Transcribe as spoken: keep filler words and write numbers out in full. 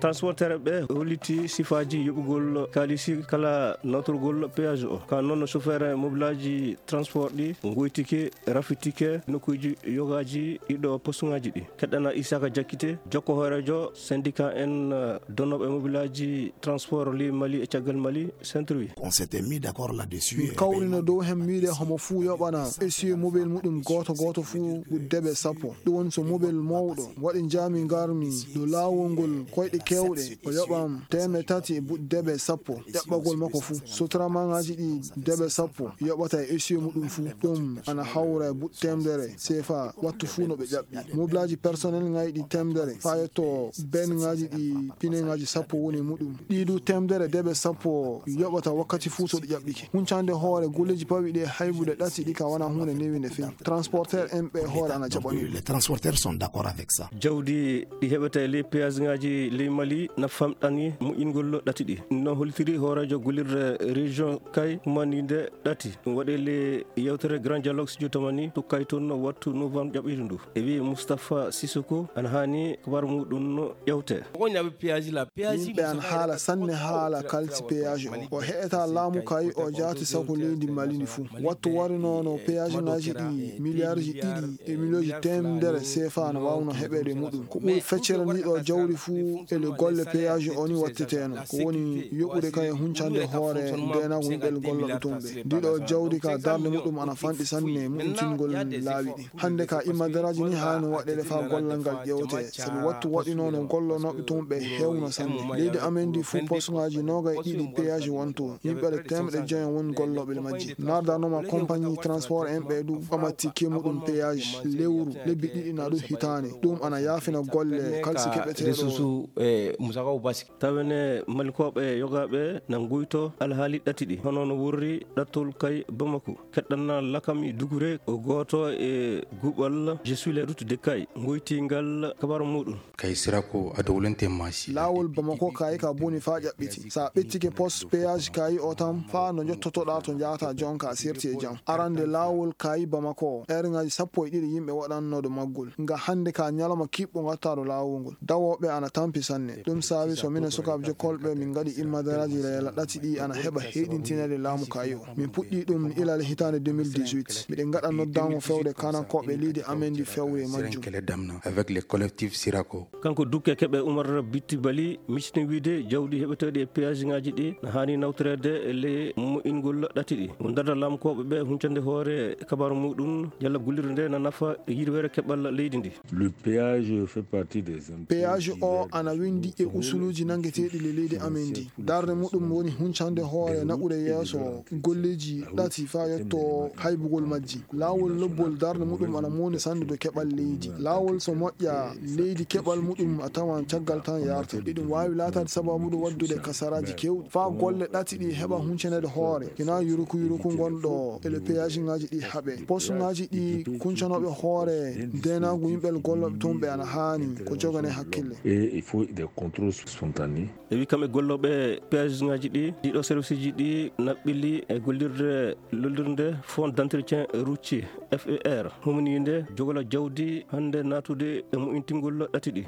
Transporteur ɓe holliti sifaaji yoɓugol kaalisi kala nawtorgol péage o. Ka noon, chauffeur mobilaaji transport ɗi ngoytike, rafitike nokkuuji yogaaji ɗiɗo postuŋaaji ɗi. Keɗɗana Isaka Jakkite, jokko hooreejo syndicat en, eh, donnooɓe mobilaaji transport li Mali e caggal Mali, Centre wi. On s'était mis d'accord là-dessus. Min kawrino dow heen, miide homo fuu yoɓana essieu mobile muɗum gooto gooto fuu debe sappo. Ɗum woni so mobile mawɗo waɗi njaami ngarmi dow laawol ngol koyɗe keewɗe, o yoɓam teemeɗɗe tati e buɗ debe sappo. Ƴaɓɓagol makko fuu. Sutura maŋaaji ɗi debe sappo yoɓata e essieu muɗum fuu. Ɗum ana hawra e buɗ teemedere seefa wattu fuu no ɓe ƴaɓɓi. Mobilaaji personnel ŋaaji ɗi teemedere faa yetto benŋaaji ɗi pineŋaaji sappo woni e muɗum. Ɗii du teemedere debe sappo yoɓata wakkati fuu so ɗi ƴaɓɓike. Huncande hoore golleeji pawɗi ɗi e haybude ɗati ɗi ka wanaa huunde newiinde few. Transporteur en ɓe hoore ana jaɓani. Les transporteurs sont d'accord avec ça. Jawdi ɗi heɓata e ley péage ŋaaji ley Mali na famɗani moƴƴingol ɗati ɗi. No hollitiri hooreejo gollirde région Kay humaniinde ɗati. Ɗum waɗi le yewtere Grand Dialogue Studio Tamani to Kay toon no wattu novembre ƴaɓɓiiɗo ndu. E wi'i Moustapha Sissoko ana haani kabar muɗum no ƴewte. Yimɓe ana haala sanne haala kalisi péage o. O heɗata laamu Kay o jaati sako leydi Mali ndi fuu. Wattu warinoono péage ŋaaji ɗi miliyaarji ɗiɗi e miliyonji teemedere seefa ana waawno heɓeede muɗum. Ko ɓuri feccere ndi ɗo jawdi fuu e le golle péage o ni watteteeno. Ko woni yoɓude Kay e huncande hoore ndeenaagu yimɓe gollooɓe toon ɓe. Ndi ɗo jawdi ka darnde muɗum ana fanɗi sanne muɗumtingol laawi ɗi. Hannde ka immadaraaji ni haani waɗeede faa gollal ngal ƴeewte. Sabi wattu waɗinoono gollonooɓe toon ɓe heewno sanne. Leydi amen ndi fuu posuŋaaji noogay e ɗiɗi péage wonto. Yimɓe teemedde joyo woni gollooɓe le majji. Nardanoma compagnie transport en ɓe du ɓamatti kemuɗum péage lewru, lebbi ɗiɗi na ɗum hitaande. Ɗum ana yaafina golle kalsi keɓeteeɗo. Tawene Malikooɓe yogaaɓe na nguyto alhaali ɗati ɗi, hono no wurri ɗattol Kay Bamako. Keɗɗanna Lakami Dugure ko gooto e guɓal Je suis la route de Kay, ngoytingal kabaru muɗum. Kay Sirako a dowlente masi. Laawol Bamako Kay ka boni faa ƴaɓɓiti. Sa ɓettike post péage Kay o tan faa no njottotoɗaa to njaata jonka sirti e jam. Arande laawol Kay Bamako, erŋaaji sappo e ɗiɗi yimɓe waɗanno do maggol. Nga hannde ka ñalawma kiɓɓo ngatta do laawol ngol. Dawooɓe ana tampi sanne. Ɗum saabi so minen sukaaɓe jokkolɓe min ngaɗi immadaraaji leela ɗati ɗi ana heɓa heyɗintineede laamu Kay o. Min puɗɗi ɗum ilal hitaande deux mille dix-huit. Miɗen ngaɗa noddaango fewde kanankooɓe leydi amen ndi fewre e majjum. Avec les collectifs Sirako. Kanko Dukke Keɓe Umar Bitti Bali, micitini wiide jawdi heɓeteeɗi e péage ŋaaji ɗi na haani nawtoreede e ley moƴƴingol ɗati ɗi. Mo darda laamkooɓe ɓe huncande hoore kabaru muɗum, yalla gollirde nde na nafa yirwere keɓal leydi ndi. Le péage fait partie des impôts. Péage o ana winndi e usuluuji nanngeteeɗi le leydi amen ndi. Darnde muɗum woni huncande hoore naɓude yeeso golleeji ɗati faa yetto haybugol majji. Laawol lobbol darnde muɗum ana mawni sanne do keɓal leydi. Laawol so moƴƴa, leydi keɓal muɗum a tawan caggal tan yarta. Iɗum waawi laataade sababude waɗdude kasaraaji keewɗi. Faa golle ɗati ɗi heɓa huncaneede hoore. Hinaa yuruku yuruku ngonɗo e le péage ŋaaji ɗi haɓe. Posuŋaaji ɗi kuncanooɓe hoore ndeenaagu yimɓe gollooɓe toon ɓe ana haani ko jogane hakkille. Et il faut des contrôles spontanés. E wi kamɓe gollooɓe péage ŋaaji ɗi, ɗiɗo service ji ɗi naɓɓili e gollirde lollirde Fonds d'entretien routier, F E R, humaniinde jogola jawdi hannde naatude e moƴƴintingol ɗati ɗi.